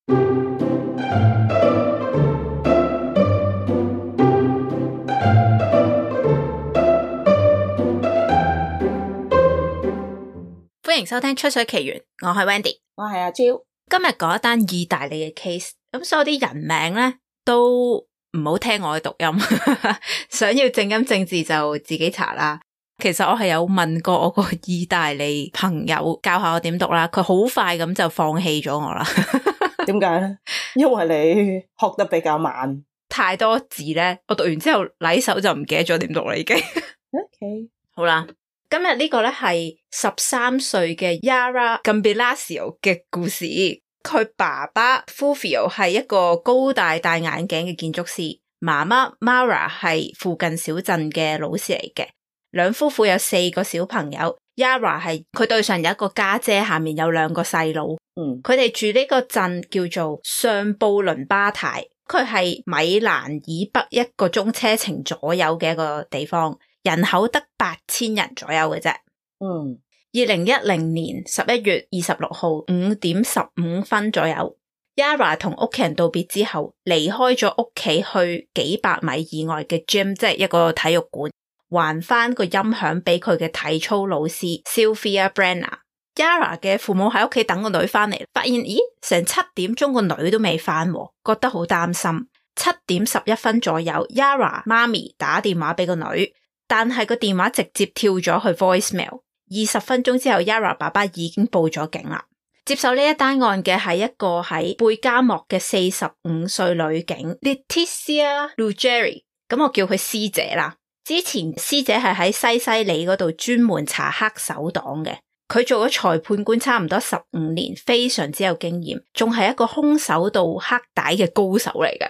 歡迎收聽吹水奇緣，我係 Wendy， 我係阿 Jill。今日講一單意大利嘅 case， 咁所有啲人名咧都唔好聽我嘅讀音，想要正音正字就自己查啦。其實我係有問過我個意大利朋友教下我點讀啦，佢好快咁就放棄咗我啦。點解咧？因為你學得比較慢，太多字咧，我讀完之後禮手就唔記得咗點讀啦已經。OK， 好啦。今日呢個咧係13歲嘅 Yara Gambirasio 嘅故事。佢爸爸 Fulvio 係一個高大戴眼鏡嘅建築師，媽媽 Mara 係附近小鎮嘅老師嚟嘅。兩夫婦有4個小朋友 ，Yara 係佢對上有一個家姐，下面有2個細佬。佢哋住呢個鎮叫做上布倫巴泰，佢係米蘭以北1個鐘車程左右嘅一個地方。人口得8000人左右嘅啫。2010年11月26號5點15分左右 ，Yara 同屋企人道別之後，離開咗屋企去幾百米以外嘅 gym， 即係一個體育館，還翻個音響俾佢嘅體操老師 Sylvia Brenner。Yara 嘅父母喺屋企等個女翻嚟，發現咦成7點鐘個女都未翻，覺得好擔心。7點11分左右 ，Yara 媽咪打電話俾個女。但係個電話直接跳咗去 voicemail。20分鐘之後 Yara 爸爸已經報咗警啦。接手呢一單案嘅係一個喺貝加莫嘅45歲女警 Letizia Ruggeri， 咁我叫佢師姐啦。之前師姐係喺西西里嗰度專門查黑手黨嘅，佢做咗裁判官差唔多15年，非常之有經驗，仲係一個空手道黑帶嘅高手嚟嘅。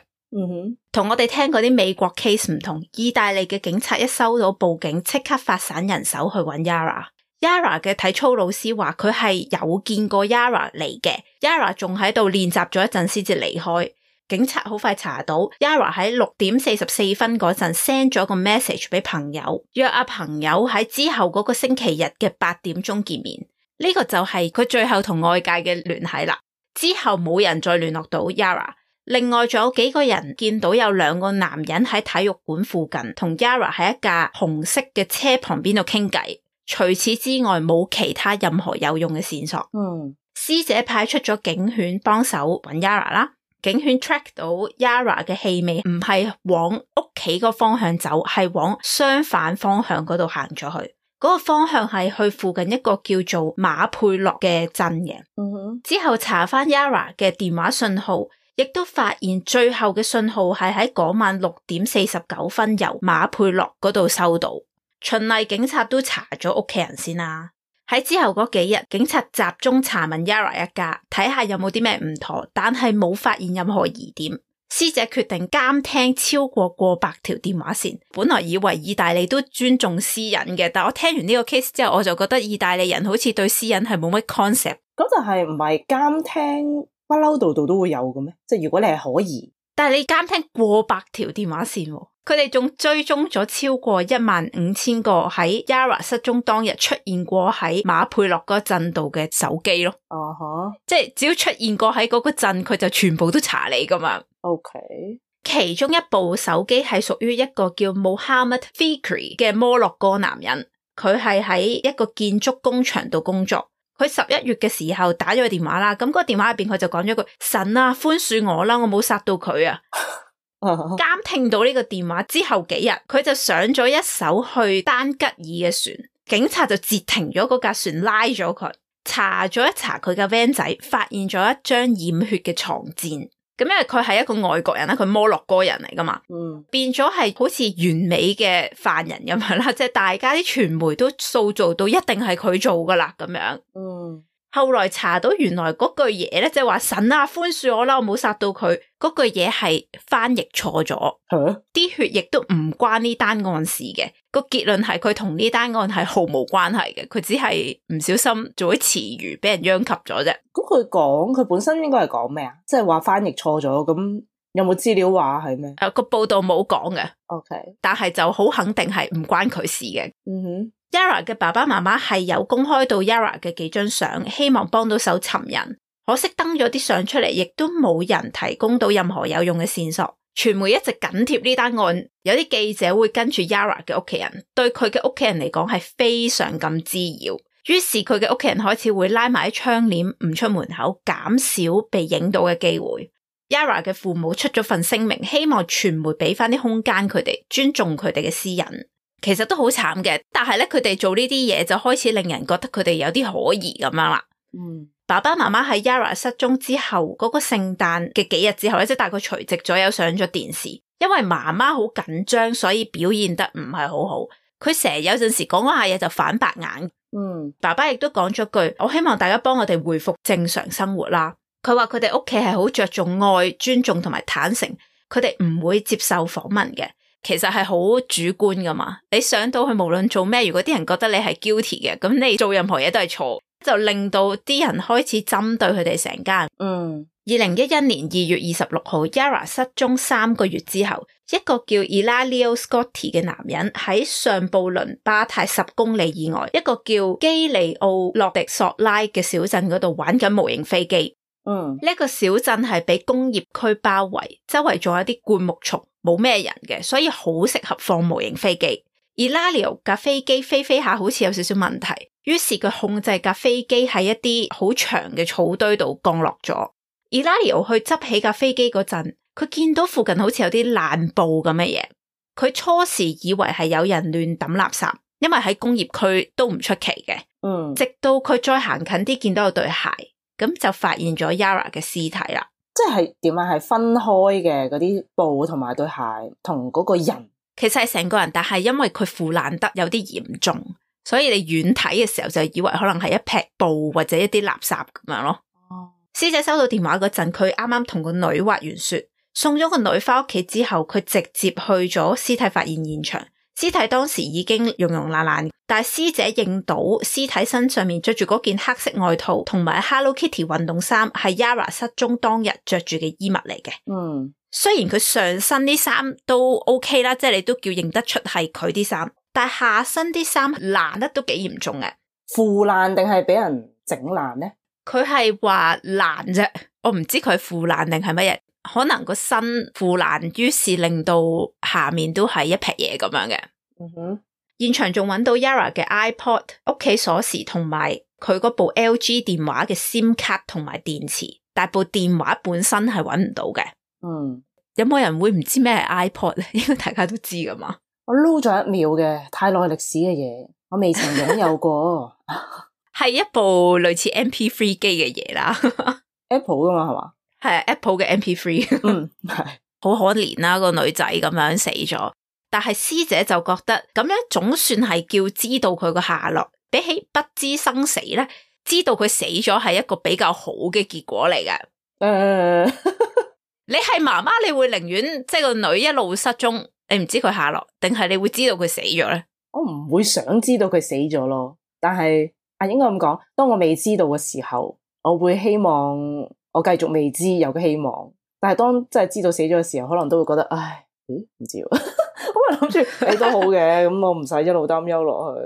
同我哋聽嗰啲美國 case 唔同，意大利嘅警察一收到報警，即刻發散人手去揾 Yara。Yara 嘅體操老師話佢係有見過 Yara 嚟嘅 ，Yara 仲喺度練習咗一陣先至離開。警察好快查到 Yara 喺6點44分嗰陣 send 咗個 message 俾朋友，約阿朋友喺之後嗰個星期日嘅8點鐘見面。呢個就係佢最後同外界嘅聯繫啦。之後冇人再聯絡到 Yara。另外仲有幾個人見到有2個男人喺體育館附近同 Yara 喺一架紅色嘅車旁邊度傾偈，除此之外冇其他任何有用嘅線索。師姐派出咗警犬幫手揾 Yara 啦，警犬 track 到 Yara 嘅氣味唔係往屋企個方向走，係往相反方向嗰度行咗去。嗰個方向係去附近一個叫做馬佩洛嘅鎮嘅。之後查翻 Yara 嘅電話信號，亦都發現最後嘅信號係喺嗰晚6點49分由馬佩洛嗰度收到。循例警察都查咗屋企人先啦。喺之後嗰幾日，警察集中查問 Yara 一家，睇下有冇啲咩唔妥，但係冇發現任何疑點。師姐決定監聽超過百條電話線。本來以為意大利都尊重私隱嘅，但我聽完呢個 case 之後，我就覺得意大利人好似對私隱係冇乜 concept。咁就係唔係監聽？不嬲度都會有嘅咩？即係如果你係可疑，但係你監聽過百條電話線，佢哋仲追蹤咗超過15000個喺 Yara 失蹤當日出現過喺馬佩洛嗰鎮度嘅手機咯。即係只要出現過喺嗰個鎮，佢就全部都查你噶嘛。OK， 其中一部手機係屬於一個叫 Mohammed Fikri 嘅摩洛哥男人，佢係喺一個建築工場度工作。佢11月嘅時候打咗個電話啦，咁嗰個電話入邊佢就講咗句神啊寬恕我啦，我冇殺到佢啊。監聽到呢個電話之後幾日，佢就上咗一艘去丹吉爾嘅船，警察就截停咗嗰架船，拉咗佢，查咗一查佢嘅 van 仔，發現咗一張染血嘅床墊。咁因為佢係一個外國人啦，佢摩洛哥人嚟噶嘛，變咗係好似完美嘅犯人咁樣啦，即係大家啲傳媒都塑造到一定係佢做噶啦咁樣。後來查到原來嗰句嘢咧，即係話神啊寬恕我啦，我冇殺到佢，嗰句嘢係翻譯錯咗，啲血亦都唔關呢單案事嘅。個結論係佢同呢單案係毫無關係嘅，佢只係唔小心做啲詞語俾人殃及咗啫。咁佢本身應該係講咩啊？即係話翻譯錯咗，咁有冇資料話係咩？個報道冇講嘅。OK， 但係就好肯定係唔關佢事嘅。Yara 嘅爸爸媽媽係有公開到 Yara 嘅幾張相，希望幫到手尋人。可惜登咗啲相出嚟，亦都冇人提供到任何有用嘅線索。傳媒一直緊貼呢單案，有啲記者會跟住 Yara 嘅屋企人，對佢嘅屋企人嚟講係非常咁滋擾。於是佢嘅屋企人開始會拉埋啲窗簾唔出門口，減少被影到嘅機會。Yara 嘅父母出咗份聲明，希望傳媒俾翻啲空間佢哋，尊重佢哋嘅私隱。其實都好慘嘅，但係咧佢哋做呢啲嘢就開始令人覺得佢哋有啲可疑咁樣啦。爸爸媽媽喺 Yara 失蹤之後嗰個聖誕嘅幾日之後咧，即係大概除夕左右上咗電視。因為媽媽好緊張，所以表現得唔係好好。佢成日有陣時講嗰下嘢就反白眼。爸爸亦都講咗句，我希望大家幫我哋回復正常生活啦。佢話佢哋屋企係好着重愛、尊重同埋坦誠，佢哋唔會接受訪問嘅。其實係好主觀噶嘛，你上到去無論做咩，如果啲人覺得你係 guilty 嘅，咁你做任何嘢都係錯，就令到啲人開始針對佢哋成家。2011年2月26號 Yara 失蹤3個月之後，一個叫 Elalio Scotti 嘅男人喺上布倫巴泰10公里以外一個叫基利奧洛迪索拉嘅小鎮嗰度玩緊模型飛機。呢個小鎮係俾工業區包圍，周圍仲有啲灌木叢，冇咩人嘅，所以好適合放模型飛機。Elalio 架飛機飛飛下好似有少少問題，於是佢控制架飛機喺一啲好長嘅草堆度降落咗。Elalio 去執起架飛機嗰陣，佢見到附近好似有啲爛布咁嘅嘢，佢初時以為係有人亂抌垃圾，因為喺工業區都唔出奇嘅。直到佢再行近啲，見到有對鞋，咁就發現咗 Yara 嘅屍體啦。即係點啊？係分開嘅嗰啲布同埋對鞋同嗰個人，其實係成個人，但係因為佢腐爛得有啲嚴重，所以你遠睇嘅時候就以為可能係一劈布或者一啲垃圾咁樣咯。屍者收到電話嗰陣，佢啱啱同個女滑完雪，送咗個女翻屋企之後，佢直接去咗屍體發現現場。屍體當時已經溶溶爛爛，但係屍者認到屍體身上面着住嗰件黑色外套同埋 Hello Kitty 運動衫係 Yara 失蹤當日着住嘅衣物嚟嘅。雖然佢上身啲衫都 OK 啦，即係你都叫認得出係佢啲衫，但係下身啲衫爛得都幾嚴重嘅。腐爛定係俾人整爛呢？佢係話爛啫，我唔知佢係腐爛定係乜嘢。可能個身腐爛，於是令到下面都係一劈嘢咁樣嘅。現場仲揾到 Yara 嘅 iPod、屋企鎖匙同埋佢嗰部 LG 電話嘅 SIM 卡同埋電池，但部電話本身係揾唔到嘅。有冇人會唔知咩係 iPod 咧？應該大家都知噶嘛。我撈咗1秒嘅，太耐歷史嘅嘢，我未曾擁有過。係一部類似 MP3 機嘅嘢啦。Apple 噶嘛係嘛？係 Apple 嘅 MP3。係好可憐啦，個女仔咁樣死咗，但係屍者就覺得咁樣總算係叫知道佢個下落，比起不知生死咧，知道佢死咗係一個比較好嘅結果嚟嘅。你係媽媽，你會寧願即係個女一路失蹤，你唔知佢下落，定係你會知道佢死咗咧？我唔會想知道佢死咗咯，但係應該咁講，當我未知道嘅時候，我會希望我繼續未知有個希望，但係當真係知道死咗嘅時候，可能都會覺得唉，唔知喎。我諗住你都好嘅，咁我唔使一路擔憂落去。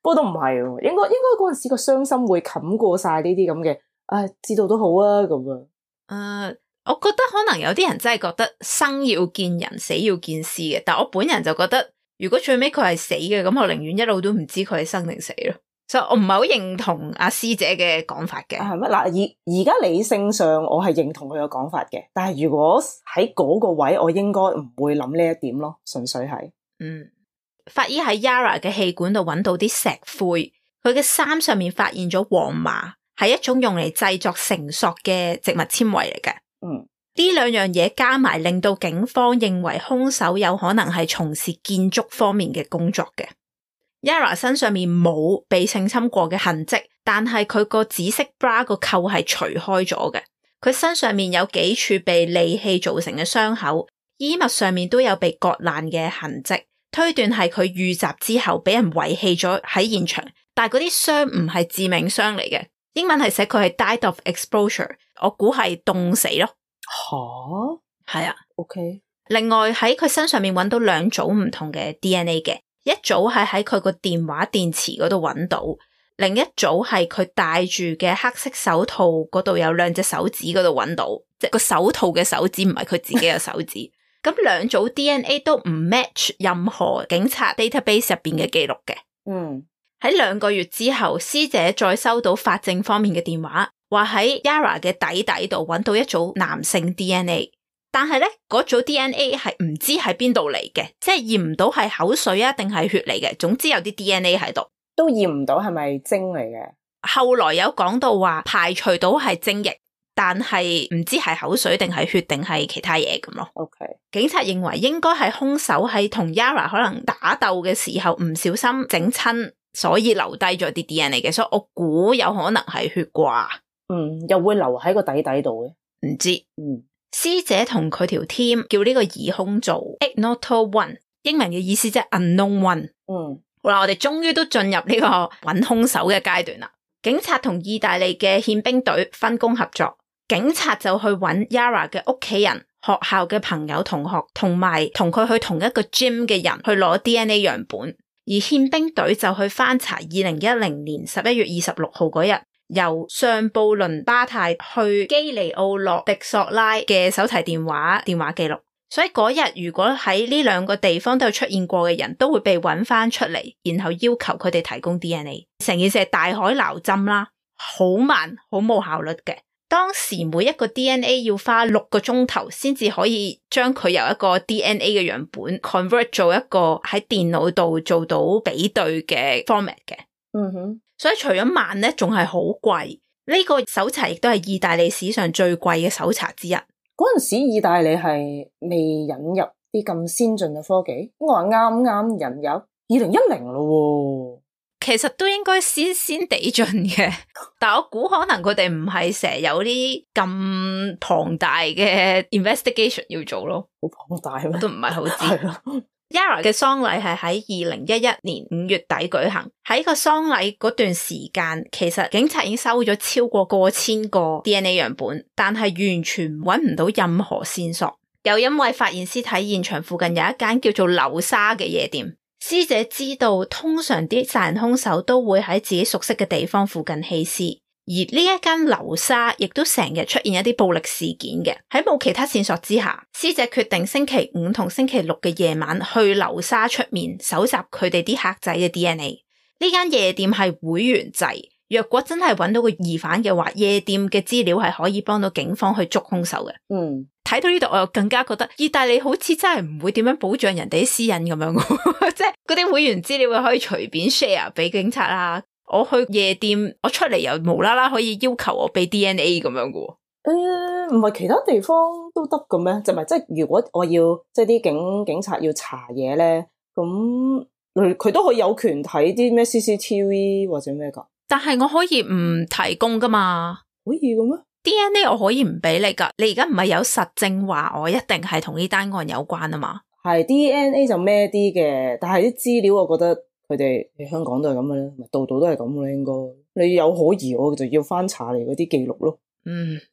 不過都唔係，應該嗰陣時個傷心會冚過晒呢啲咁嘅，唉，知道都好啊咁啊。我覺得可能有啲人真係覺得生要見人，死要見屍嘅，但我本人就覺得，如果最尾佢係死嘅，咁我寧願一路都唔知佢係生定死咯。所以我唔係好認同阿師姐嘅講法嘅。係咩？嗱，而家理性上我係認同佢嘅講法嘅，但係如果喺嗰個位，我應該唔會諗呢一點咯，純粹係。法醫喺 Yara 嘅氣管度揾到啲石灰，佢嘅衫上面發現咗黃麻，係一種用嚟製作繩索嘅植物纖維嚟嘅。呢兩樣嘢加埋，令到警方認為兇手有可能係從事建築方面嘅工作嘅。Yara 身上面冇被性侵過嘅痕跡，但係佢個紫色 bra 個扣係除開咗嘅。佢身上面有幾處被利器造成嘅傷口，衣物上面都有被割爛嘅痕跡，推斷係佢遇襲之後俾人遺棄咗喺現場。但係嗰啲傷唔係致命傷嚟嘅，英文係寫佢係 died of exposure， 我估係凍死咯。係啊 OK。另外喺佢身上面揾到2組唔同嘅 DNA 嘅。一組係喺佢個電話電池嗰度揾到，另一組係佢戴住嘅黑色手套嗰度有2隻手指嗰度揾到，即係個手套嘅手指唔係佢自己嘅手指。咁2組 DNA 都唔 match 任何警察 database 入邊嘅記錄嘅。喺2個月之後，師姐再收到法證方面嘅電話，話喺 Yara 嘅底度揾到一組男性 DNA， 但係咧嗰組 DNA 係唔知喺邊度嚟嘅，即係驗唔到係口水啊定係血嚟嘅，總之有啲 DNA 喺度，都驗唔到係咪精嚟嘅。後來有講到話排除到係精液，但係唔知係口水定係血定係其他嘢咁咯。OK， 警察認為應該係兇手喺同 Yara 可能打鬥嘅時候唔小心整親，所以留低咗啲 DNA 嘅，所以我估有可能係血啩。又會留喺個底度嘅，唔知。師姐同佢條 team 叫呢個疑兇做 Ignoto One， 英文嘅意思即係 Unknown One。好啦，我哋終於都進入呢個揾兇手嘅階段啦。警察同意大利嘅憲兵隊分工合作，警察就去揾 Yara 嘅屋企人、學校嘅朋友、同學，同埋同佢去同一個 gym 嘅人去攞 DNA 樣本，而憲兵隊就去翻查2010年11月26號嗰日，由上布倫巴泰去基尼奧洛迪索拉嘅手提電話記錄，所以嗰日如果喺呢2個地方都有出現過嘅人都會被揾翻出嚟，然後要求佢哋提供 DNA。 成件事係大海撈針啦，好慢好冇效率嘅。當時每一個 DNA 要花6個鐘頭先至可以將佢由一個 DNA 嘅樣本 convert 做一個喺電腦度做到比對嘅 format 嘅。所以除咗慢咧，仲係好貴。呢個搜查亦都係意大利史上最貴嘅搜查之一。嗰陣時意大利係未引入啲咁先進嘅科技，我話啱啱引入2010咯。其實都應該先地進嘅，但我估可能佢哋唔係成日有啲咁龐大嘅 investigation 要做咯。好龐大咩？都唔係好知。Yara 嘅喪禮係喺2011年5月底舉行，喺個喪禮嗰段時間，其實警察已經收咗超過過千個 DNA 樣本，但係完全揾唔到任何線索。又因為發現屍體現場附近有一間叫做流沙嘅夜店，師姐知道通常啲殺人兇手都會喺自己熟悉嘅地方附近棄屍。而呢一間流沙亦都成日出現一啲暴力事件嘅，喺冇其他線索之下，師姐決定星期5同星期6嘅夜晚去流沙出面搜集佢哋啲客仔嘅 DNA。呢間夜店係會員制，若果真係揾到個疑犯嘅話，夜店嘅資料係可以幫到警方去捉兇手嘅。睇到呢度我又更加覺得意大利好似真係唔會點樣保障人哋啲私隱咁樣，即係嗰啲會員資料可以隨便 share 俾警察啦。我去夜店，我出嚟又無啦啦可以要求我俾 DNA 咁樣嘅。唔係其他地方都得嘅咩？就係即係如果我要即係啲警察要查嘢咧，咁佢都可以有權睇啲咩 CCTV 或者咩噶？但係我可以唔提供噶嘛？可以嘅咩？ DNA 我可以唔俾你噶，你而家唔係有實證話我一定係同呢單案有關啊嘛？係 DNA 就咩啲嘅，但係啲資料我覺得。佢哋喺香港都係咁嘅咧，度度都係咁嘅咧。應該你有可疑，我就要翻查嚟嗰啲記錄咯。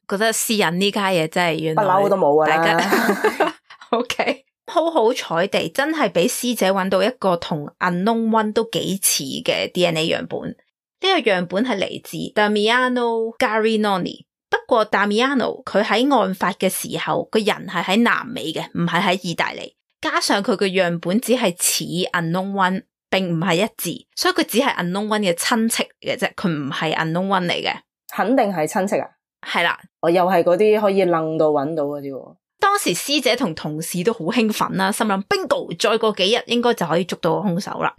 覺得私隱呢家嘢真係原來不嬲都冇噶啦。大家OK， 好彩地，真係俾師姐揾到一個同 Unknown One 都幾似嘅 DNA 樣本。呢個樣本係嚟自 Damiano Garinoni， 不過 Damiano 佢喺案發嘅時候個人係喺南美嘅，唔係喺意大利。加上佢個樣本只係似 Unknown One。並唔係一致，所以佢只係 Unknown One 嘅親戚嚟嘅啫，佢唔係 Unknown One 嚟嘅。肯定係親戚啊？係啦，我又係嗰啲可以愣到揾到嗰啲。當時師姐同同事都好興奮啦，心諗 bingo， 再過幾日應該就可以捉到兇手啦。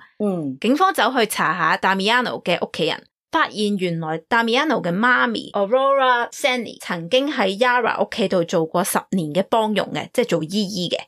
警方走去查下 Damiano 嘅屋企人，發現原來 Damiano 嘅媽咪 Aurora Sani 曾經喺 Yara 屋企度做過10年嘅幫傭嘅，即係做姨姨嘅。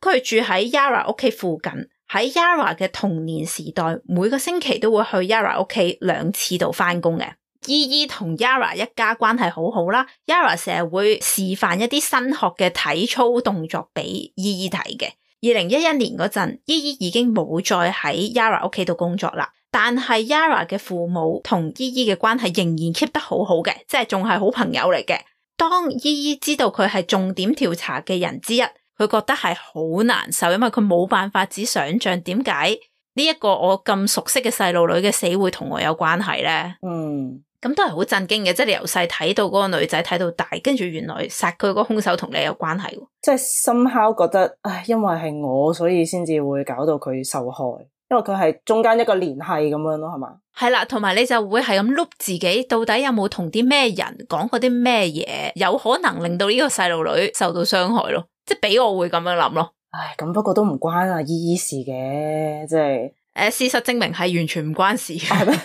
佢住喺 Yara 屋企附近。喺 Yara 嘅童年時代，每個星期都會去 Yara 屋企2次度返工嘅。姨姨同 Yara 一家關係好好啦。Yara 成日會示範一啲新學嘅體操動作俾姨姨睇嘅。2011年嗰陣，姨姨已經冇再喺 Yara 屋企度工作啦，但係 Yara 嘅父母同姨姨嘅關係仍然 keep 得好好嘅，即係仲係好朋友嚟嘅。當姨姨知道佢係重點調查嘅人之一，佢覺得係好難受，因為佢冇辦法只想象點解呢一個我咁熟悉嘅細路女嘅死會同我有關係咧？咁都係好震驚嘅，即係你由細睇到嗰個女仔睇到大，跟住原來殺佢嗰個兇手同你有關係。即係somehow覺得，唉，因為係我，所以先至會搞到佢受害，因為佢係中間一個聯繫咁樣咯，係嘛？係啦，同埋你就會係咁 loop 自己，到底有冇同啲咩人講過啲咩嘢，有可能令到呢個細路女受到傷害咯，即係俾我會咁樣諗咯。唉，咁不過都唔關阿姨姨事嘅，即係。事實證明係完全唔關事嘅，係咩？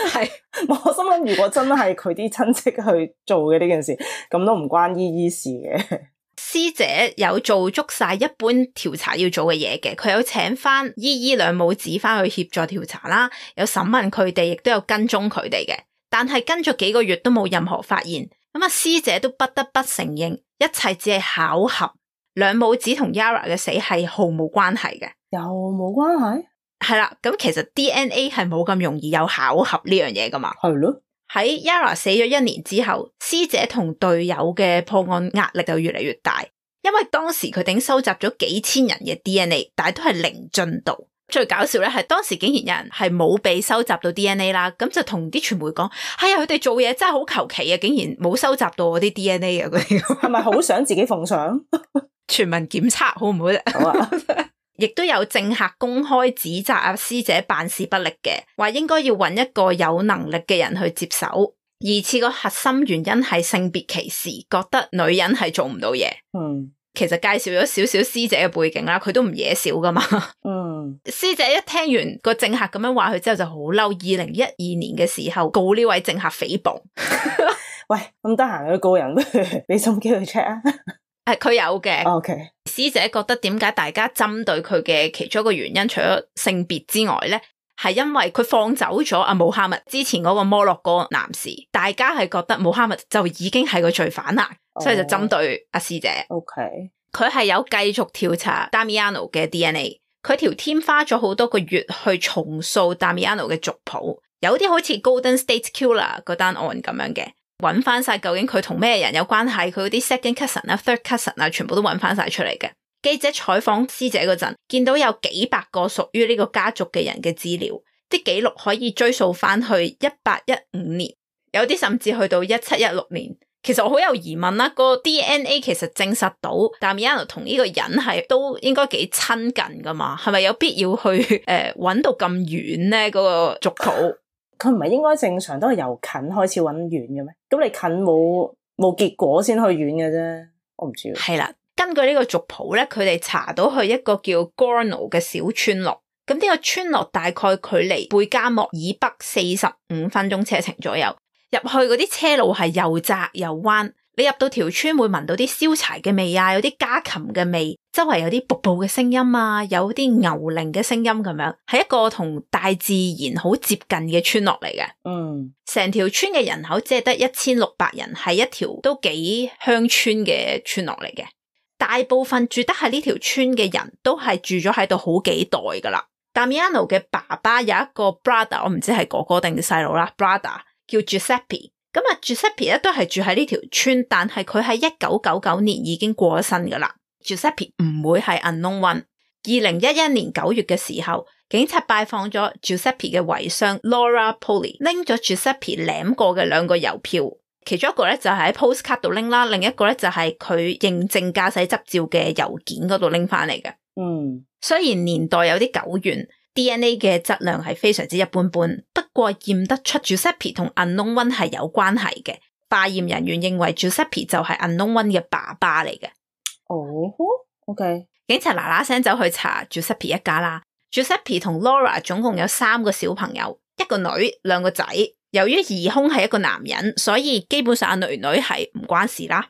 係，我心諗如果真係佢啲親戚去做嘅呢件事，咁都唔關姨姨事嘅。師姐有做足晒一般調查要做嘅嘢嘅，佢有請翻姨姨兩母子翻去協助調查啦，有審問佢哋，亦都有跟蹤佢哋嘅。但係跟咗幾個月都冇任何發現，咁啊師姐都不得不承認，一切只係巧合，兩母子同 Yara 嘅死係毫無關係嘅。又冇關係？係啦，咁其實 DNA 係冇咁容易有巧合呢樣嘢噶嘛。係咯。喺 Yara 死咗1年之後，師姐同隊友嘅破案壓力就越嚟越大，因為當時佢哋已經收集咗幾千人嘅 DNA， 但係都係零進度。最搞笑咧係當時竟然有人係冇被收集到 DNA 啦，咁就同啲傳媒講，係啊，佢哋做嘢真係好求其啊，竟然冇收集到我啲 DNA 啊，嗰啲係咪好想自己奉上？全民檢測好唔好啫？好啊。亦都有政客公開指責阿師姐辦事不力嘅，話應該要揾一個有能力嘅人去接手。疑似個核心原因係性別歧視，覺得女人係做唔到嘢。其實介紹咗少少師姐嘅背景啦，佢都唔惹少噶嘛。師姐一聽完個政客咁樣話佢之後就好嬲，2012年嘅時候告呢位政客誹謗。喂，咁得閒去告人，俾心機去 check 啊。佢有嘅。Okay. 師姐覺得點解大家針對佢嘅其中一個原因，除咗性別之外咧，係因為佢放走咗阿穆罕默之前嗰個摩洛哥男士，大家係覺得穆罕默就已經係個罪犯啦，所以就針對阿師姐。Okay. 佢係有繼續調查 Damiano 嘅 DNA， 佢條 team 花咗好多個月去重塑 Damiano 嘅族譜，有啲好似 Golden State Killer 嗰單案咁樣嘅。揾翻晒究竟佢同咩人有關係，佢嗰啲 second cousin 啊、third cousin 啊，全部都揾翻晒出嚟嘅。記者採訪師姐嗰陣，見到有幾百個屬於呢個家族嘅人嘅資料，啲記錄可以追溯翻去1815年，有啲甚至去到1716年。其實我好有疑問啦，個 DNA 其實證實到 Damiano 同呢個人係都應該幾親近噶嘛，係咪有必要去揾到咁遠咧？嗰個族譜？佢唔係應該正常都係由近開始揾遠嘅咩？咁你近冇結果先去遠嘅啫，我唔知。係啦，根據呢個族譜咧，佢哋查到去一個叫 Gorno 嘅小村落，咁呢個村落大概距離貝加莫以北45分鐘車程左右。入去嗰啲車路係又窄又彎，你入到條村會聞到啲燒柴嘅味啊，有啲家禽嘅味，周圍有啲瀑布嘅聲音啊，有啲牛鈴嘅聲音咁樣，係一個同大自然好接近嘅村落嚟嘅。成條村嘅人口只係得1600人，係一條都幾鄉村嘅村落嚟嘅。大部分住得喺呢條村嘅人都係住咗喺度好幾代噶啦。Damiano 嘅爸爸有一個 brother， 我唔知係哥哥定細佬啦 ，brother。叫 Giuseppe， 咁啊 Giuseppe 咧都係住喺呢條村，但係佢喺1999年已經過咗身噶啦。Giuseppe 唔會係 unknown one。2011年9月嘅時候，警察拜訪咗 Giuseppe 嘅遺孀 Laura Poli， 拎咗 Giuseppe 領過嘅2個郵票，其中一個咧就係喺 postcard 度拎啦，另一個咧就係佢認證駕駛執照嘅郵件嗰度拎翻嚟嘅。雖然年代有啲久遠，DNA 嘅質量係非常之一般般，不過驗得出 Giuseppe 同 Unknown One 係有關係嘅。化驗人員認為 Giuseppe 就係 Unknown One 嘅爸爸嚟嘅。OK。警察嗱嗱聲走去查 Giuseppe 一家啦。Giuseppe 同 Laura 總共有3個小朋友，1個女，2個仔。由於疑兇係一個男人，所以基本上女係唔關事啦。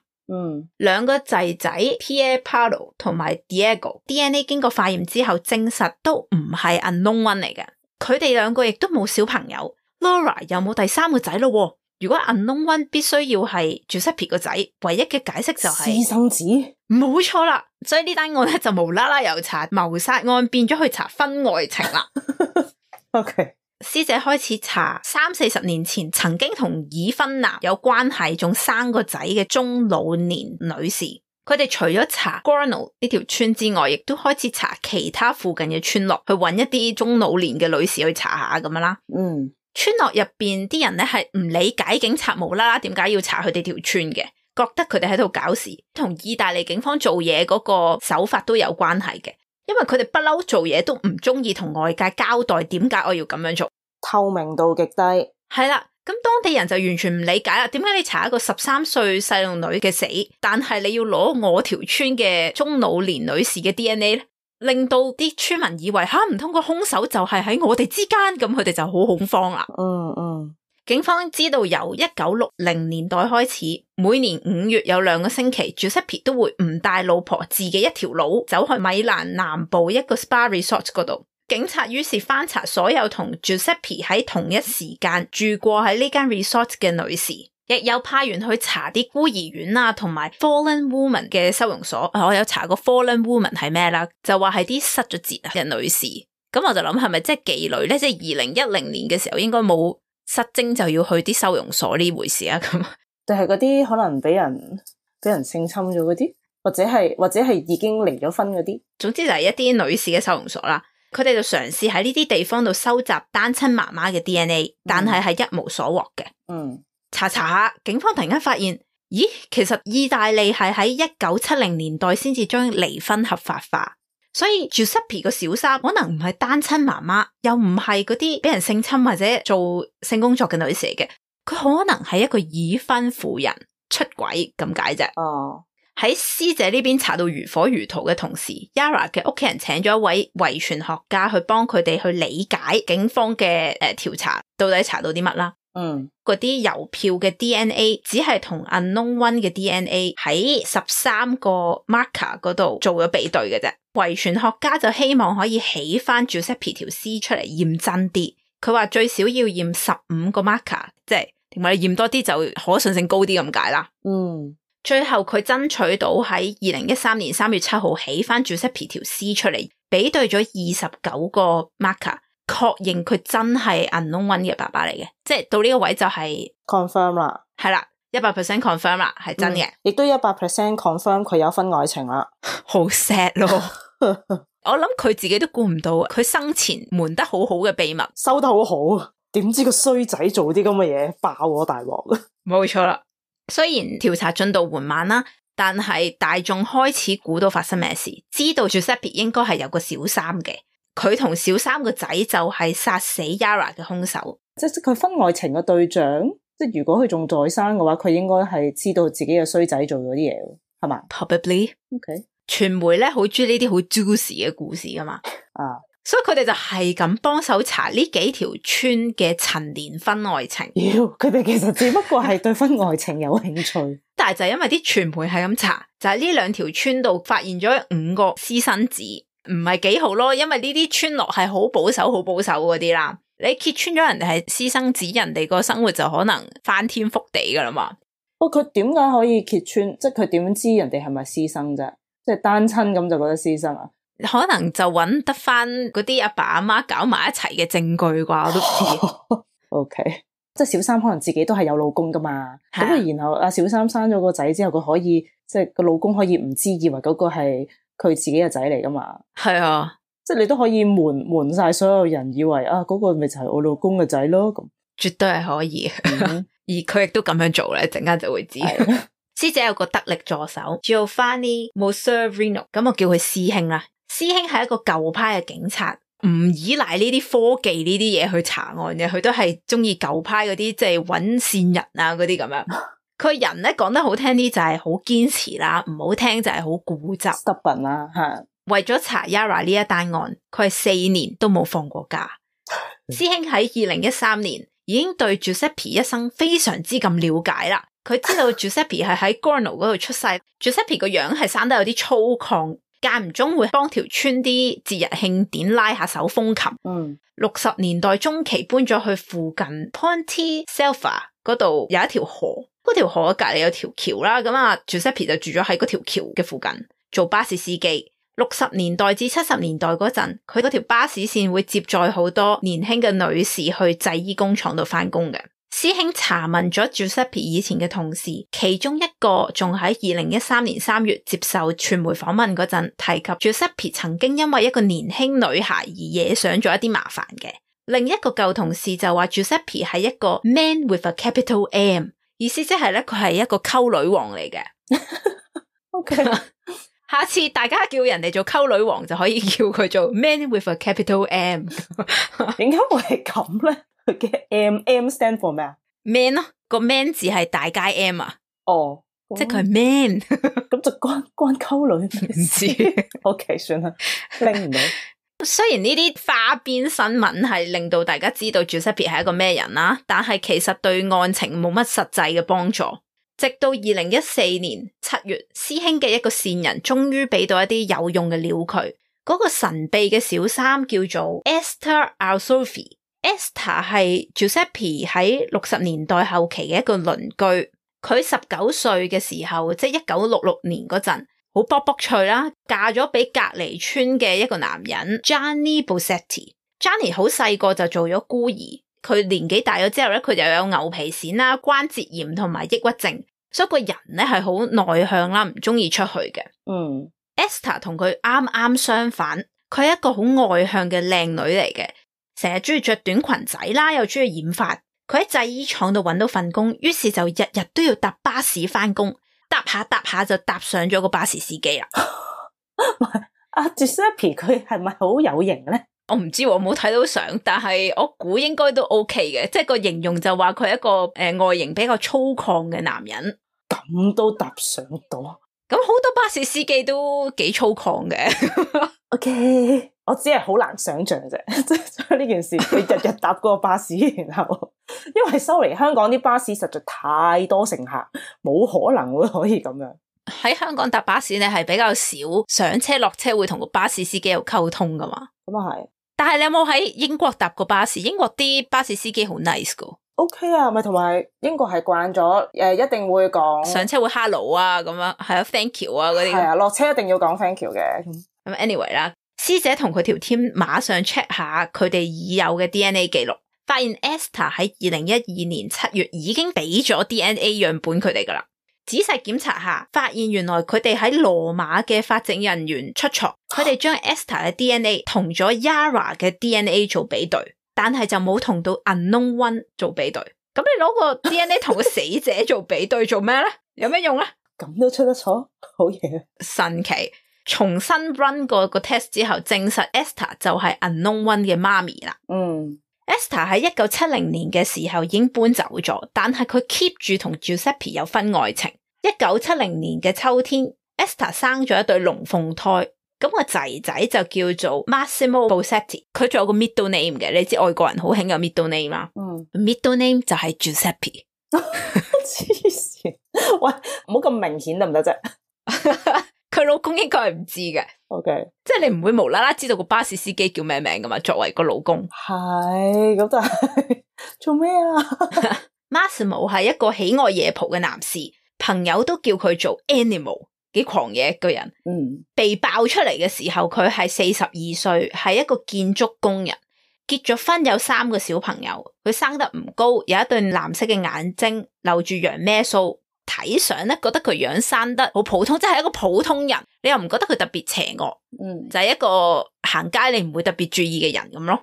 2個仔仔 Pierpaolo 同埋 Diego DNA 經過化驗之後證實都唔係 Unknown One 嚟嘅，佢哋2個亦都冇小朋友。Laura 又冇第3個仔咯。如果 Unknown One 必須要係 Giuseppe 個仔，唯一嘅解釋就係私生子，冇錯啦。所以呢單案咧就無啦啦由查謀殺案變咗去查婚外情啦。OK。師姐開始查30-40年前曾經同已婚男有關係仲生個仔嘅中老年女士，佢哋除咗查 Gornal 呢條村之外，亦都開始查其他附近嘅村落，去揾一啲中老年嘅女士去查下咁樣啦。村落入邊啲人咧係唔理解警察無啦啦點解要查佢哋條村嘅，覺得佢哋喺度搞事，同意大利警方做嘢嗰個手法都有關係嘅。因為佢哋不嬲做嘢都唔中意同外界交代點解我要咁樣做，透明度極低。係啦，咁當地人就完全唔理解啦。點解你查一個13歲細路女嘅死，但係你要攞我條村嘅中老年女士嘅 DNA 咧？令到啲村民以為唔通個兇手就係喺我哋之間，咁佢哋就好恐慌啦。警方知道由1960年代開始，每年5月有2個星期 Giuseppe 都會唔帶老婆自己一條路走去米蘭南部一個 spa resort 嗰度。警察於是翻查所有同 Giuseppe 喺同一時間住過喺呢間 resort 嘅女士，亦有派員去查啲孤兒院啊，同埋 Fallen Woman 嘅收容所。我有查過 Fallen Woman 係咩啦，就話係啲失咗節嘅女士。咁我就諗係咪即係妓女咧？即係2010年嘅時候應該冇失蹤就要去啲收容所呢回事啊？咁定係嗰啲可能俾人性侵咗嗰啲，或者係已經離咗婚嗰啲。總之就係一啲女士嘅收容所啦。佢哋就嘗試喺呢啲地方度收集單親媽媽嘅 DNA，但係一無所獲嘅。查下，警方突然間發現，咦，其實意大利係喺1970年代先至將離婚合法化，所以 Giuseppe 個小三可能唔係單親媽媽，又唔係嗰啲俾人性侵或者做性工作嘅女士嚟嘅，佢可能係一個已婚婦人出軌咁解啫。喺師姐呢邊查到如火如荼嘅同時， Yara 嘅屋企人請咗一位遺傳學家去幫佢哋去理解警方嘅調查，到底查到啲乜啦？嗰啲郵票嘅 DNA 只係同 Unknown One 嘅 DNA 喺13個 marker 嗰度做咗比對嘅啫。遺傳學家就希望可以起翻 Giuseppe 條屍出嚟驗真啲，佢話最少要驗15個 marker， 即係點解驗多啲就可信性高啲咁解啦。最後佢爭取到喺2013年3月7號起翻 Giuseppe 條屍出嚟，比對咗29個 marker， 確認佢真係 Unknown One 嘅爸爸嚟嘅，即係到呢個位就係 confirm 啦，係啦，100% confirm 啦，係真嘅，亦都100% confirm 佢有婚外情啦，好 sad 咯。我諗佢自己都估唔到，佢生前瞞得好好嘅秘密收得好好，點知個衰仔做啲咁嘅嘢爆我大鑊。冇錯啦。雖然調查進度緩慢啦，但係大眾開始估到發生咩事，知道 Giuseppe 應該係有個小三嘅，佢同小三個仔就係殺死 Yara 嘅兇手。即係佢婚外情嘅對象，即係如果佢仲在生嘅話，佢應該係知道自己嘅衰仔做咗啲嘢，係嘛 ？Probably。OK。傳媒咧好中意呢啲好 juicy 嘅故事噶嘛，所以佢哋就係咁幫手查呢幾條村嘅陳年婚外情。佢哋其實只不過係對婚外情有興趣，但係就因為啲傳媒係咁查，就喺呢2條村度發現咗5個私生子，唔係幾好咯。因為呢啲村落係好保守嗰啲啦，你揭穿咗人哋係私生子，人哋個生活就可能翻天覆地噶啦嘛。佢點解可以揭穿？即係佢點知人哋係咪私生啫？即係單親咁就覺得私生啊？可能就揾得翻嗰啲阿爸阿媽搞埋一齊嘅證據啩，我都知。OK， 即係小三可能自己都係有老公噶嘛，咁然後阿小三生咗個仔之後，佢可以即係個老公可以唔知，以為嗰個係佢自己嘅仔嚟噶嘛。係啊，即係你都可以瞞晒所有人，以為嗰個咪就係我老公嘅仔咯。咁絕對係可以，而佢亦都咁樣做咧，陣間就會知。師姐有個得力助手 Giovanni Mosserino， 咁我叫佢師兄啦。師兄係一個舊派嘅警察，唔依賴呢啲科技呢啲嘢去查案嘅，佢都係中意舊派嗰啲，即係揾線人啊嗰啲咁樣。佢人咧講得好聽啲就係好堅持啦，唔好聽就係好固執 stubborn 啦。係為咗查 Yara 呢一單案，佢係4年都冇放過假。師兄喺2013年已經對 Giuseppe 一生非常之咁了解啦。佢知道 Giuseppe 係喺 Gornal 嗰度出世。Giuseppe 個樣係生得有啲粗獷，間唔中會幫條村啲節日慶典拉下手風琴。60年代中期搬咗去附近 Ponte Selva 嗰度有一條河，嗰條河隔籬有條橋啦。咁啊 Giuseppe 就住咗喺嗰條橋嘅附近做巴士司機。60年代至70年代嗰陣，佢嗰條巴士線會接載好多年輕嘅女士去製衣工廠度翻工嘅。師兄查問咗 Giuseppe 以前嘅同事，其中一個仲喺2013年3月接受傳媒訪問嗰陣提及 Giuseppe 曾經因為一個年輕女孩而惹上咗一啲麻煩嘅。另一個舊同事就話 Giuseppe 係一個 man with a capital M， 意思即係咧佢係一個溝女王嚟嘅。OK， 下次大家叫人哋做溝女王就可以叫佢做 man with a capital M。 點解會係咁咧？佢嘅 M stand for 咩啊 ？man 咯，個 man 字係大街 M 啊。哦，即係佢係 man。咁就關溝女唔知。OK， 算啦，拎唔到。雖然呢啲花邊新聞係令到大家知道 Giuseppe 係一個咩人啦，但係其實對案情冇乜實際嘅幫助。直到2014年7月，師兄嘅一個線人終於俾到一啲有用嘅料佢。嗰個神秘嘅小三叫做 Esther Alsolfi。Esther 係 Giuseppe 喺60年代後期嘅一個鄰居。佢19歲嘅時候，即係1966年嗰陣，好卜卜脆啦，嫁咗俾隔離村嘅一個男人 Gianni Bossetti。Gianni 好細個就做咗孤兒，佢年紀大咗之後咧，佢又有牛皮癬啦、關節炎同埋抑鬱症，所以個人咧係好內向啦，唔中意出去嘅。Esther 同佢啱啱相反，佢係一個好外向嘅靚女嚟嘅，成日中意着短裙仔啦，又中意染髮。佢喺製衣廠度搵到份工，於是就日日都要搭巴士翻工，搭下就搭上咗個巴士司機啦。阿 Giuseppe 佢係咪好有型咧？我唔知，我冇睇到相，但係我估應該都 OK 嘅，即係個形容就話佢係一個外形比較粗獷嘅男人。咁都搭上到？咁好多巴士司機都幾粗獷嘅。OK， 我只係好難想象啫，即係呢件事，你日日搭嗰個巴士，然後因為sorry，香港啲巴士實在太多乘客，冇可能會可以咁樣。喺香港搭巴士你係比較少上車落車會同個巴士司機有溝通噶嘛？咁啊係。但係你有冇喺英國搭過巴士？英國啲巴士司機好 nice 噶。OK 啊，咪同埋英國係慣咗一定會講上車會 hello 啊，咁樣係啊 thank you 啊嗰啲。係啊，落車一定要講 thank you 嘅。咁 anyway 啦，師姐同佢條 team 馬上 check 下佢哋已有嘅 DNA 記錄，發現 Esther 喺2012年7月已經俾咗 DNA 樣本佢哋噶啦。仔細檢查下，發現原來佢哋喺羅馬嘅法證人員出錯，佢哋將 Esther 嘅 DNA 同咗 Yara 嘅 DNA 做比對，但係就冇同到 Unknown One 做比對。咁你攞個 DNA 同個死者做比對做咩咧？有咩用咧？咁都出得錯，好嘢！神奇！重新 run 過個 test 之後，證實 Esther 就係 Unknown One 嘅媽咪啦。Esther 喺1970年嘅時候已經搬走咗，但係佢 keep 住同 Giuseppe 有婚外情。1970年嘅秋天 ，Esther 生咗一對龍鳳胎，咁個仔仔就叫做 Massimo Bossetti， 佢仲有個 middle name 嘅，你知外國人好興有 middle name 啦。middle name 就係 Giuseppe。黐線，喂，唔好咁明顯得唔得啫？佢老公應該係唔知嘅。OK， 即係你唔會無啦啦知道個巴士司機叫咩名噶嘛？作為個老公，係咁就係做咩啊？Massimo 係一個喜愛夜蒲嘅男士，朋友都叫佢做 Animal， 幾狂野一個人。被爆出嚟嘅時候，佢係42歲，係一個建築工人，結咗婚，有3個小朋友。佢生得唔高，有一對藍色嘅眼睛，留住羊咩鬚。睇相咧，覺得佢樣生得好普通，即係一個普通人，你又唔覺得佢特別邪惡，就係一個行街你唔會特別注意嘅人咁咯。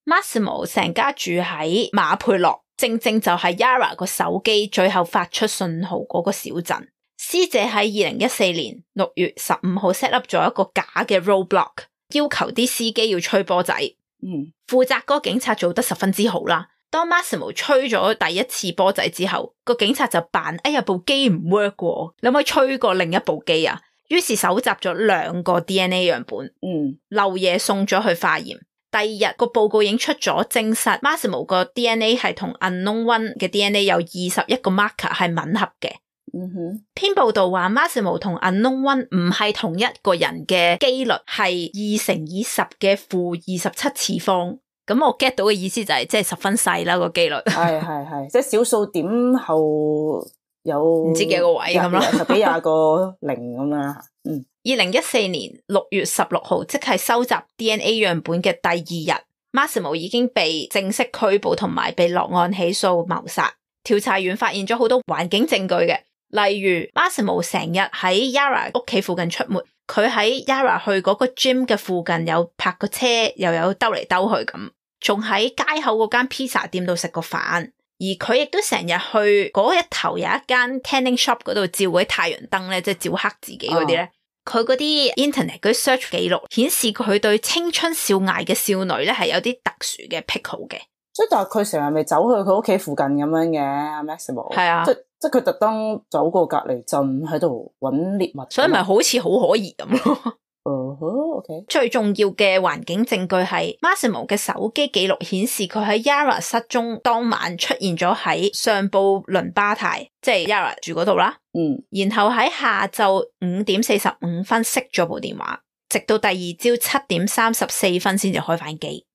Massimo 成家住喺馬佩洛，正正就係 Yara 個手機最後發出信號嗰個小鎮。師姐喺2014年6月15號 set up 咗一個假嘅 roadblock， 要求啲司機要吹波仔。負責嗰個警察做得十分之好啦。當 Massimo 吹咗第一次波仔之後，個警察就扮哎呀部機唔 work 喎，你可唔可以吹過另一部機啊？於是搜集咗2個 DNA 樣本，漏夜送咗去化驗。第二日個報告已經出咗，證實 Massimo 個 DNA 係同 Unknown One 嘅 DNA 有21個 marker 係吻合嘅。篇報道話 Massimo 同 Unknown One 唔係同一個人嘅機率係2乘以10嘅負27次方。咁我 get 到嘅意思就係即係十分細啦個機率，係即係小數點後有唔知幾個位咁咯，10幾20個零咁啦。2014年6月16號，即係收集 DNA 樣本嘅第2日， Massimo 已經被正式拘捕同埋被落案起訴謀殺。調查員發現咗好多環境證據嘅，例如 Massimo 成日喺 Yara 屋企附近出沒，佢喺 Yara 去嗰個 gym 嘅附近有泊個車，又有兜嚟兜去咁，仲喺街口嗰間 pizza 店度食個飯，而佢亦都成日去嗰一頭有一間 tanning shop 嗰度照嗰啲太陽燈咧，即係照黑自己嗰啲咧。佢嗰啲 internet 嗰啲 search 記錄顯示佢對青春少艾嘅少女咧係有啲特殊嘅癖好嘅。即係但係佢成日咪走去佢屋企附近咁樣嘅 Massimo。係啊，即係佢特登走過隔離鎮喺度揾獵物，所以咪好似好可疑咁咯。OK。最重要嘅環境證據係 Massimo 嘅手機記錄顯示佢喺 Yara 失蹤當晚出現咗喺上布倫巴泰，即係 Yara 住嗰度啦。然後喺下晝5點45分熄咗部電話，直到第二朝7點34分先至開返機。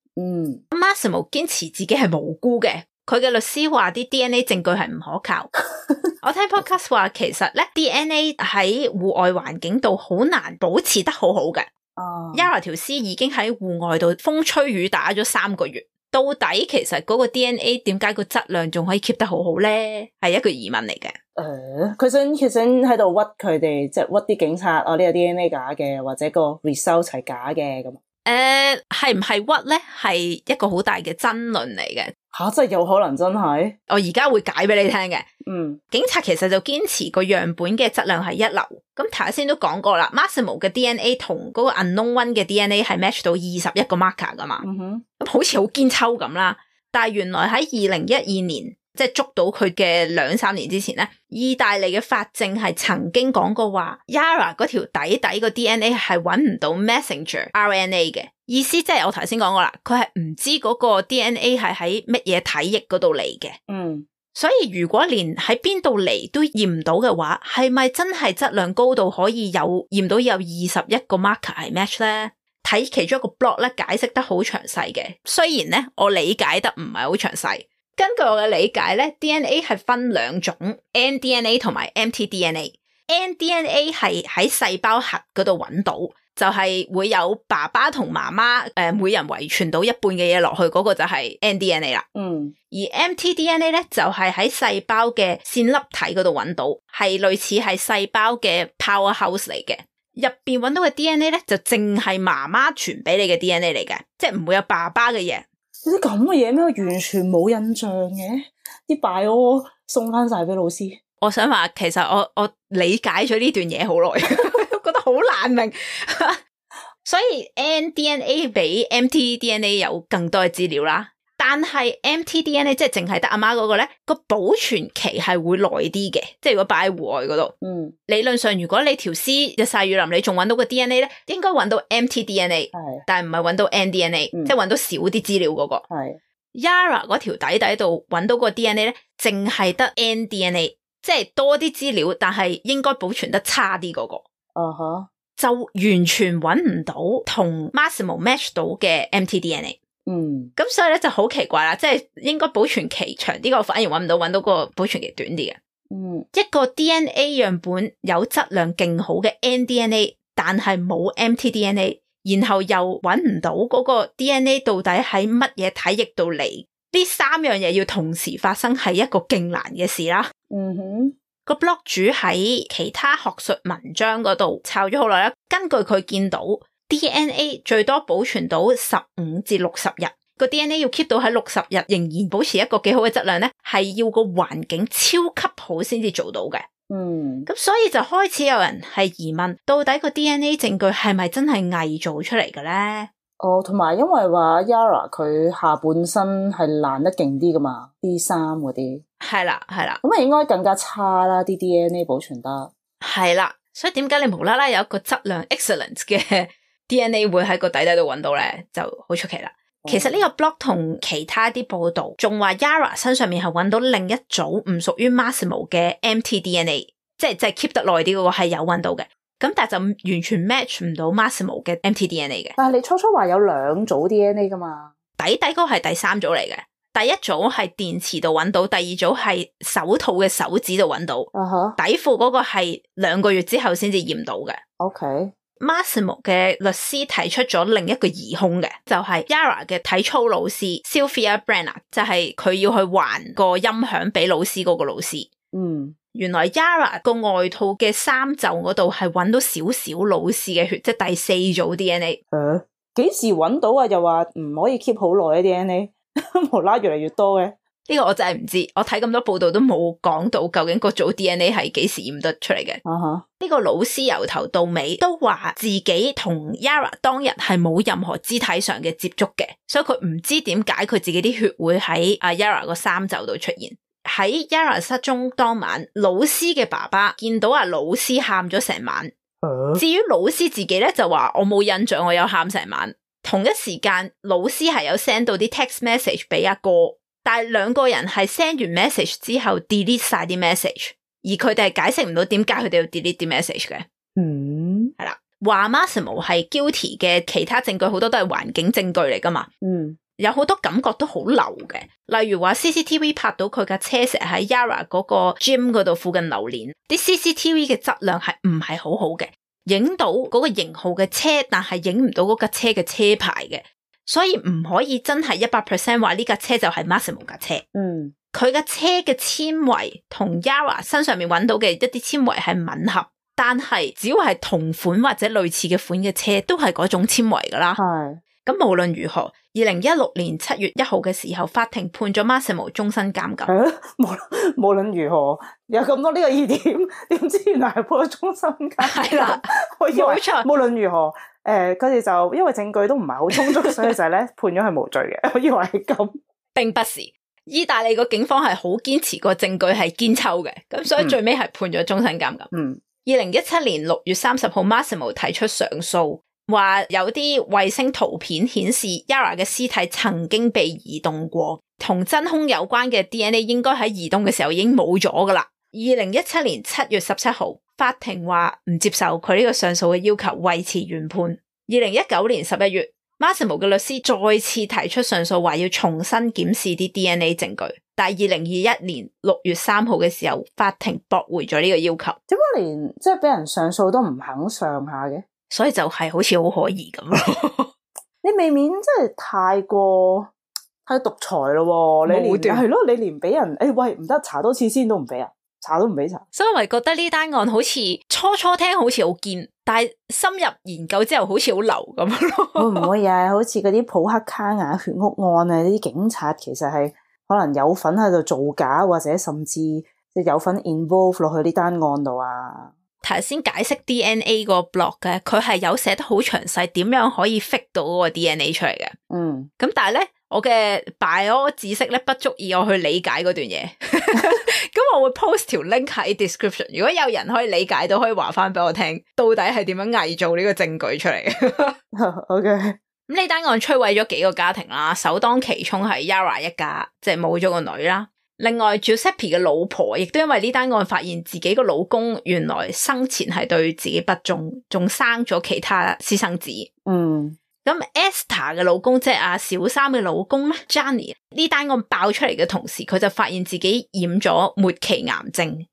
Massimo 堅持自己係無辜嘅，佢嘅律師話啲 DNA 證據係唔可靠。我聽 podcast 話其實咧 DNA 喺戶外環境度好難保持得好好嘅。Yara 條屍已經喺戶外度風吹雨打咗3個月，到底其實嗰個 DNA 點解個質量仲可以 keep 得好好咧？係一個疑問嚟嘅。佢想喺度屈佢哋，即係屈啲警察，呢個 DNA 假嘅，或者個 result 係假嘅咁。係唔係屈咧？係一個好大嘅爭論嚟嘅。真係有可能真係？我而家會解俾你聽嘅。警察其實就堅持個樣本嘅質量係一流。咁頭先都講過啦 ，Massimo 嘅 DNA 同嗰個 unknown one 嘅 DNA 係 match 到21個 marker 噶嘛。咁好似好堅抽咁啦。但係原來喺2012年，即係捉到佢嘅2-3年之前咧，意大利嘅法證係曾經講過話 Yara 嗰條底個 DNA 係揾唔到 messenger RNA 嘅，意思即係我頭先講過啦，佢係唔知嗰個 DNA 係喺乜嘢體液嗰度嚟嘅。所以如果連喺邊度嚟都驗唔到嘅話，係咪真係質量高到可以驗到有21個 marker 係 match 咧？睇其中一個 blog 咧解釋得好詳細嘅，雖然咧我理解得唔係好詳細。根據我嘅理解咧 ，DNA 係分2種 ，nDNA 同埋 mtDNA。nDNA 係喺細胞核嗰度揾到，就係會有爸爸同媽媽每人遺傳到一半嘅嘢落去，嗰個就係 nDNA 啦。而 mtDNA 咧就係喺細胞嘅線粒體嗰度揾到，係類似係細胞嘅 powerhouse 嚟嘅。入邊揾到嘅 DNA 咧就淨係媽媽傳俾你嘅 DNA 嚟嘅，即係唔會有爸爸嘅嘢。啲咁嘅嘢咩？完全冇印象嘅，啲 bio 送翻晒俾老師。我想話，其實我理解咗呢段嘢好耐，覺得好難明。所以 nDNA 比 mtDNA 有更多嘅資料啦，但係 mtDNA 即係淨係得阿媽嗰個咧，個保存期係會耐啲嘅，即係如果擺喺戶外嗰度。理論上如果你條屍日曬雨淋，你仲揾到個 DNA 咧，應該揾到 mtDNA，但係唔係揾到 nDNA，即係揾到少啲資料嗰個。Yara 嗰條底度揾到個 DNA 咧，淨係得 nDNA， 即係多啲資料，但係應該保存得差啲嗰個。就完全揾唔到同 Massimo match 到嘅 mtDNA。咁所以咧就好奇怪啦，即係應該保存期長啲個反而揾到個保存期短啲嘅。一個 DNA 樣本有質量勁好嘅 nDNA， 但係冇 mtDNA， 然後又揾唔到嗰個 DNA 到底喺乜嘢體液度嚟，呢3樣嘢要同時發生係一個勁難嘅事啦。個 blog 主喺其他學術文章嗰度抄咗好耐啦，根據佢見到 DNA 最多保存到15至60日，個 DNA 要 keep 到喺60日仍然保持一個幾好嘅質量咧，係要個環境超級好先至做到嘅。咁所以就開始有人係疑問，到底個 DNA 證據係咪真係偽造出嚟嘅咧？同埋因為話 Yara 佢下半身係爛得勁啲噶嘛，啲衫嗰啲係啦，咁啊應該更加差啦，啲 DNA 保存得係啦，所以點解你無啦啦有一個質量 excellent 嘅 DNA 會喺個底度揾到咧，就好出奇啦。其實呢個 blog 同其他啲報道仲話 Yara 身上面係揾到另一組唔屬於 Massimo 嘅 mtDNA， 即係 keep 得耐啲嗰個係有揾到嘅，咁但係就完全 match 唔到 Massimo 嘅 mtDNA 嘅。但係你初話有2組 DNA 噶嘛？底嗰個係第3組嚟嘅，第一組係電池度揾到，第二組係手套嘅手指度揾到，底褲嗰個係2個月之後先至驗到嘅。OK。Massimo 嘅律師提出咗另一個疑兇嘅，就係 Yara 嘅體操老師 Sylvia Brenner， 就係佢要去還個音響俾老師嗰個老師。原來 Yara 個外套嘅衫袖嗰度係揾到少少老師嘅血，即係第四組 DNA。幾時揾到啊？又話唔可以 keep 好耐嘅 DNA， 無啦越嚟越多嘅。呢個我真係唔知，我睇咁多報道都冇講到究竟個組 DNA 係幾時驗得出嚟嘅。呢個老師由頭到尾都話自己同 Yara 當日係冇任何肢體上嘅接觸嘅，所以佢唔知點解佢自己啲血會喺阿 Yara 個衫袖度出現。喺 Yara 失蹤當晚，老師嘅爸爸見到阿老師喊咗成晚。至於老師自己咧就話我冇印象我有喊成晚。同一時間老師係有 send 到啲 text message 俾阿哥，但係兩個人係 send 完 message 之後 delete 晒啲 message， 而佢哋係解釋唔到點解佢哋要 delete 啲 message 嘅。係啦，話 Massimo 係 guilty 嘅其他證據好多都係環境證據嚟噶嘛。有好多感覺都好流嘅，例如話 CCTV 拍到佢架車成日喺 Yara 嗰個 gym 嗰度附近流連，啲 CCTV 嘅質量係唔係好好嘅，影到嗰個型號嘅車，但係影唔到嗰架車嘅車牌嘅，所以唔可以真係 100% 話呢架車就係 Massimo 架車。佢架車嘅纖維同 Yara 身上面揾到嘅一啲纖維係吻合，但係只要係同款或者類似嘅款嘅車都係嗰種纖維噶啦。咁無論如何，2016年7月1號嘅時候，法庭判咗 Massimo 終身監禁。無論如何，有咁多呢個疑點，點知原來係判咗終身監禁。係啦，我以為冇錯。無論如何，佢哋就因為證據都唔係好充足，所以就係咧判咗係無罪嘅。我以為係咁，並不是。意大利個警方係好堅持個證據係堅抽嘅，咁所以最尾係判咗終身監禁。2017年6月30號 ，Massimo 提出上訴。話有啲衛星圖片顯示 Yara 嘅屍體曾經被移動過，同真兇有關嘅 DNA 應該喺移動嘅時候已經冇咗噶啦。2017年7月17號，法庭話唔接受佢呢個上訴嘅要求，維持原判。2019年11月，Massimo 嘅律師再次提出上訴，話要重新檢視啲 DNA 證據，但係2021年6月3號嘅時候，法庭駁回咗呢個要求。點解連即係俾人上訴都唔肯上下嘅？所以就係好似好可疑咁咯。你未免真係太獨裁咯。你連係咯，你連俾人喂唔得查多次先都唔俾啊，查都唔俾查。所以我咪覺得呢單案好似初聽好似好堅，但係深入研究之後好似好流咁咯。會唔會啊？好似嗰啲普克卡雅血屋案啊，呢啲警察其實係可能有份喺度造假，或者甚至即係有份 involve 落去呢單案度啊。頭先解釋 DNA 個 blog 嘅，佢係有寫得好詳細，點樣可以 fit 到嗰個 DNA 出嚟嘅。咁但係咧，我嘅 bio 知識咧不足以我去理解嗰段嘢。咁我會 post 條 link 喺 description， 如果有人可以理解到，可以話翻俾我聽，到底係點樣偽造呢個證據出嚟。OK。咁呢單案摧毀咗幾個家庭啦，首當其衝係 Yara 一家，即係冇咗個女啦。另外 Giuseppe 嘅老婆亦都因為呢單案發現自己個老公原來生前係對自己不忠，仲生咗其他私生子。咁 Esther 嘅老公即係阿小三嘅老公咧 Gianni， 呢單案爆出嚟嘅同時，佢就發現自己染咗末期癌症。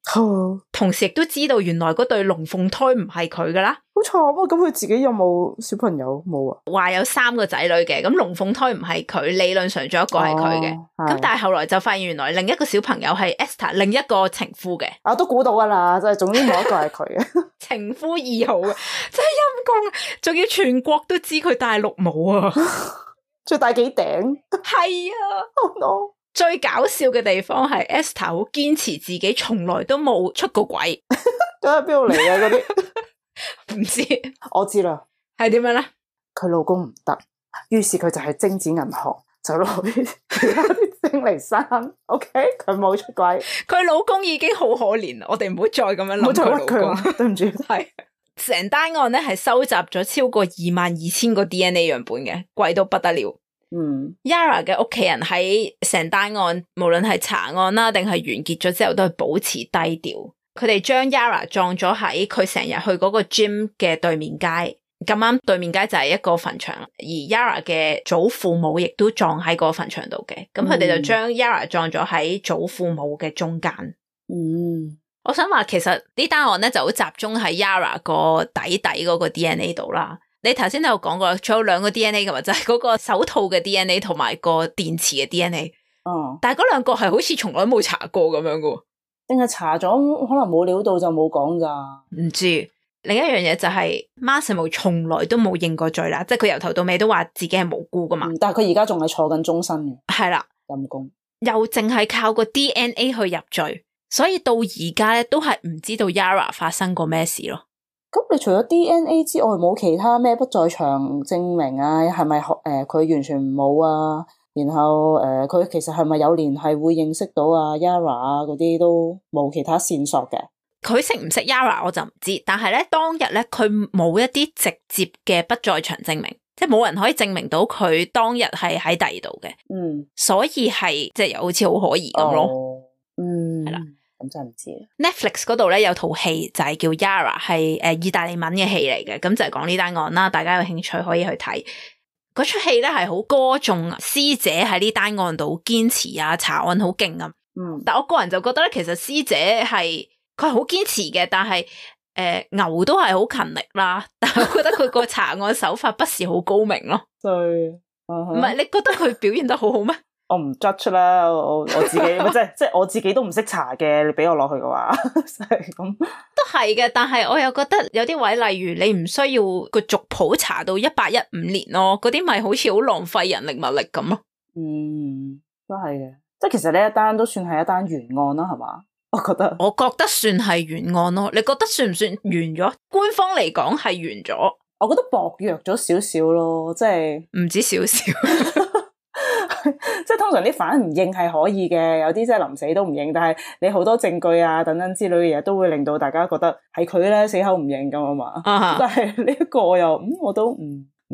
同時亦都知道原來嗰對龍鳳胎唔係佢噶啦。好慘啊！咁佢自己有冇小朋友？冇啊。話有3個仔女嘅，咁龍鳳胎唔係佢，理論上仲有一個係佢嘅。咁但係後來就發現原來另一個小朋友係 Esther 另一個情夫嘅。都估到噶啦，就係總之冇一個係佢嘅。情夫2號啊，真係陰公，仲要全國都知佢戴綠帽啊，最戴幾頂？係啊。Oh no！最搞笑嘅地方係 Esther 好堅持自己從來都冇出過軌。咁喺邊度嚟啊？嗰啲唔知。我知啦，係點樣咧？佢老公唔得，於是佢就係精子銀行就攞啲其他啲精嚟生。OK， 佢冇出軌，佢老公已經好可憐啦。我哋唔好再咁樣諗佢老公。對唔住，係成單案咧係收集咗超過22,000個 DNA 樣本嘅，貴到不得了。Yara 嘅屋企人喺成單案，無論係查案啦，定係完結咗之後，都係保持低調。佢哋將 Yara 葬咗喺佢成日去嗰個 gym 嘅對面街，咁啱對面街就係一個墳場，而 Yara 嘅祖父母亦都葬喺個墳場度嘅。咁佢哋就將 Yara 葬咗喺祖父母嘅中間。我想話其實呢單案咧就好集中喺 Yara 個底嗰個 DNA 度啦。你頭先都有講過，仲有兩個 DNA 噶嘛，就係嗰個手套嘅 DNA 同埋個電池嘅 DNA。但係嗰兩個係好似從來冇查過咁樣噶。定係查咗可能冇料到就冇講咋？唔知。另一樣嘢就係 Massimo 從來都冇認過罪啦，即係佢由頭到尾都話自己係無辜噶嘛。但係佢而家仲係坐緊終身嘅。係啦，陰公。又淨係靠個 DNA 去入罪，所以到而家咧都係唔知道 Yara 發生過咩事咯。咁你除咗 DNA 之外，冇其他咩不在場證明啊？係咪佢完全冇啊？然後佢其實係咪有聯繫會認識到啊 Yara 啊嗰啲都冇其他線索嘅？佢識唔識 Yara 我就唔知，但係咧當日咧佢冇一啲直接嘅不在場證明，即係冇人可以證明到佢當日係喺第二度嘅。所以係即係又好似好可疑咁咯。係啦。咁真係唔知。Netflix 嗰度咧有套戲就係叫 Yara， 係意大利文嘅戲嚟嘅，咁就係講呢單案啦。大家有興趣可以去睇。嗰出戲咧係好歌頌師姐喺呢單案度堅持啊，查案好勁啊。但我個人就覺得咧，其實師姐佢係好堅持嘅，但係牛都係好勤力啦。但係我覺得佢個查案手法不是好高明咯。對，唔係你覺得佢表現得好好咩？我唔 judge 啦，我自己即係我自己都唔識查嘅，你俾我落去嘅話，係咁都係嘅。但係我又覺得有啲位，例如你唔需要個族譜查到1815年咯，嗰啲咪好似好浪費人力物力咁咯。都係嘅，即係其實呢一單都算係一單懸案啦，係嘛？我覺得算係懸案咯。你覺得算唔算完咗？官方嚟講係完咗，我覺得薄弱咗少少咯，即係唔止少少。即係通常啲犯唔認係可以嘅，有啲真係臨死都唔認，但係你好多證據啊等等之類嘅嘢都會令到大家覺得係佢咧死口唔認咁啊嘛。但係呢一個我都唔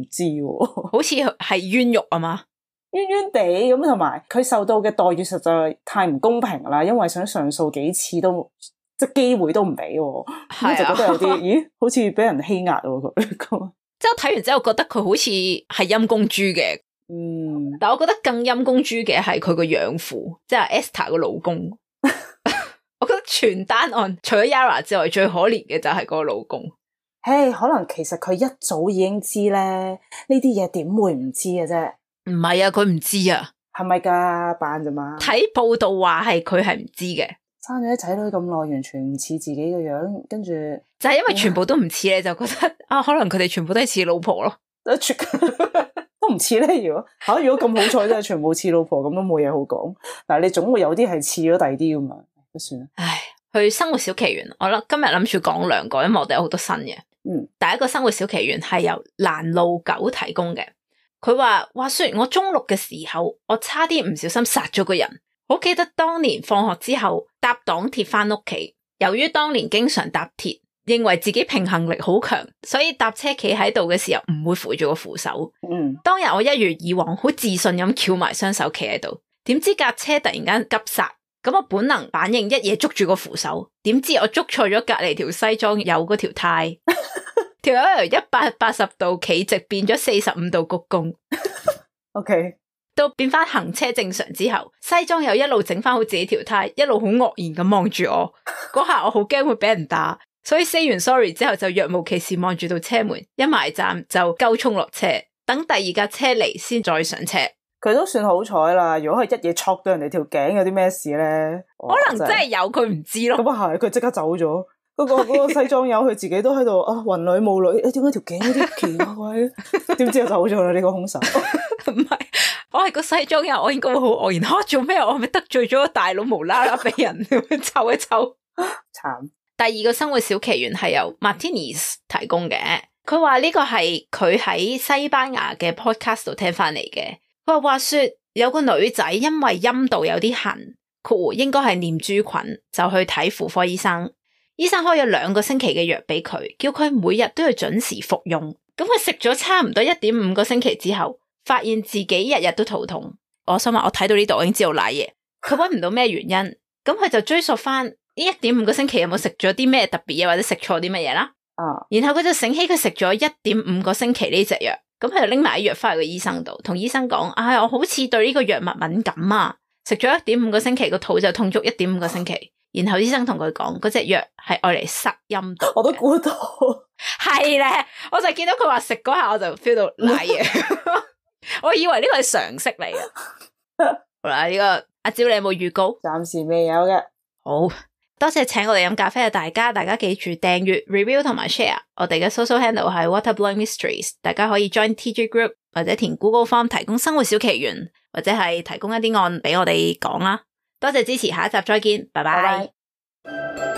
知喎，好似係冤獄啊嘛，冤冤地咁，同埋佢受到嘅待遇實在太唔公平啦，因為想上訴幾次都即係機會都唔俾，咁就覺得有啲咦好似俾人欺壓喎佢。即係我睇完之後覺得佢好似係陰公豬嘅。但我覺得更陰公豬嘅係佢個養父，即係 Esther 個老公。我覺得全單案除咗 Yara 之外，最可憐嘅就係個老公。可能其實佢一早已經知咧，呢啲嘢點會唔知嘅啫？唔係啊，佢唔知啊，係咪噶扮咋嘛？睇報道話係佢係唔知嘅，生咗啲仔女咁耐，完全唔似自己嘅樣，跟住就係因為全部都唔似咧，就覺得可能佢哋全部都係似老婆咯。都唔似咧，如果咁好彩真係全部似老婆，咁都冇嘢好講。但係你總會有啲係似咗第二啲噶嘛，都算啦。唉，去生活小奇緣，我今日諗住講兩個，因為我哋有好多新嘅。第一個生活小奇緣係由蘭路狗提供嘅。佢話說我中六嘅時候，我差啲唔小心殺咗個人。好記得當年放學之後搭港鐵翻屋企，由於當年經常搭鐵，認為自己平衡力好強，所以搭車企喺度嘅時候唔會扶住個扶手。當日我一如以往好自信咁翹埋雙手企喺度，點知架車突然間急剎，咁我本能反應一嘢捉住個扶手，點知我捉錯咗隔籬條西裝有嗰條呔，條友由180度企直變咗45度鞠躬。OK， 到變翻行車正常之後，西裝又一路整翻好自己條呔，一路好愕然咁望住我。嗰下我好驚會俾人打。所以 say 完 sorry 之後就若無其事望住到車門，一埋站就鳩衝落車，等第二架車嚟先再上車。佢都算好彩啦，如果佢一嘢戳到人哋條頸，有啲咩事咧？可能真係有佢唔知咯。咁啊係，佢即刻走咗。嗰個西裝友佢自己都喺度雲裏霧裏，點解條頸有啲奇怪？點知就走咗啦？呢個兇手唔係，我係個西裝友，我應該會好愕然。做咩？我係咪得罪咗個大佬，無啦啦俾人抽一抽？慘。第二個生活小奇緣係由 Martinez 提供嘅，佢話呢個係佢喺西班牙嘅 podcast 度聽翻嚟嘅。佢話說有個女仔因為陰道有啲痕，應該係念珠菌，就去睇婦科醫生。醫生開咗2個星期嘅藥俾佢，叫佢每日都要準時服用。咁佢食咗差唔多 1.5 個星期之後，發現自己日日都肚痛。我想話我睇到呢度我已經知道瀨嘢，佢搵唔到咩原因，咁佢就追溯翻呢 1.5 個星期有冇食咗啲咩特別嘢，或者食錯啲乜嘢啦。然後佢就醒起佢食咗 1.5 個星期呢隻藥，咁佢就拎埋啲藥翻去個醫生度，同醫生講：我好似對呢個藥物敏感啊，食咗 1.5 個星期個肚就痛足 1.5 個星期。然後醫生同佢講嗰隻藥係愛嚟塞陰道，我都估到，係咧，我就見到佢話食嗰下我就 feel 到瀨嘢，我以為呢個係常識嚟嘅。好啦，呢個阿蕉你有冇預告？暫時未有嘅。好多謝請我哋飲咖啡嘅大家記住訂閱、review 同埋 share。我哋嘅 social handle 係 Waterblowing Mysteries， 大家可以 join TG group 或者填 Google Form 提供生活小奇懸，或者係提供一啲案俾我哋講啦。多謝支持，下一集再見，拜拜。拜拜。